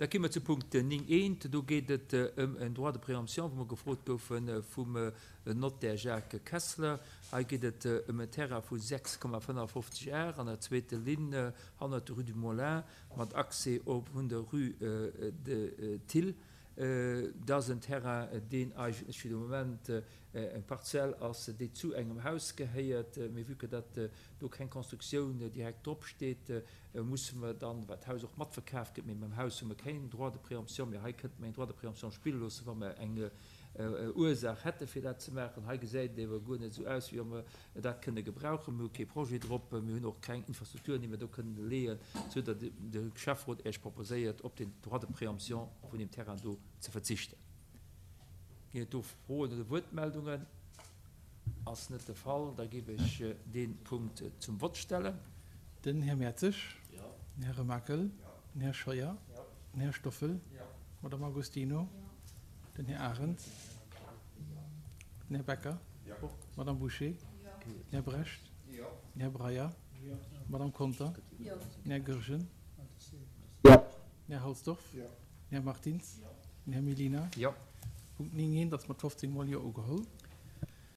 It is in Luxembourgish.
Da gi mer zu Punkt 9 eent. Do geet et ëm en Droit de préemption, wou mer gefrot goufe vum Notaire Jacques Kessler. Hei geet et ëm en Terrain vu 6,55 Ar an der zweete Linn hannert der Rue du Moulin mat Accès op vun der Rue de Thill. Dat ass en Terrain, deen eigentlech fir de Moment eng Parzell ass, déi zu engem Haus gehéiert. Mee vue que datt do keng Constructioun direkt drop steet, musse mer dann, well d'Haus och matverkaf gëtt, mee mam Haus hu mer keen Droit de préemption, mee hei kënnte mer een Droit de préemption spille loossen, wa mer eng Ursaach hätte fir dat ze maachen. Hei gesäit et ewer guer net esou aus, wéi wa mer dat kënne gebrauchen. Mir hu kee Projet drop, mir hunn och keng Infrastrukturen, déi mer do kënnen leeën, esou datt de Schäfferot Iech proposéiert, op den Droit de préemption vun deem Terrain do ze verzichten. Ginn et do Froen oder Wuertmeldungen? Ass net de Fall. Da géif ech dee Punkt zum Vott stellen. Den Här Mertzig. Den Här Remakel. Den Här Scheuer. Den Här Stoffel. D'Madame Agostino. Den Här Arendt. Den Här Becker. D'Madame Bouché. Den Här Brecht. Den Här Breyer. D'Madame Conter. Den Här Goergen. Den Här Halsdorf. Den Här Martins. Den Här Mellina. Punkt 9 eent ass mat 15 mol Jo ugeholl.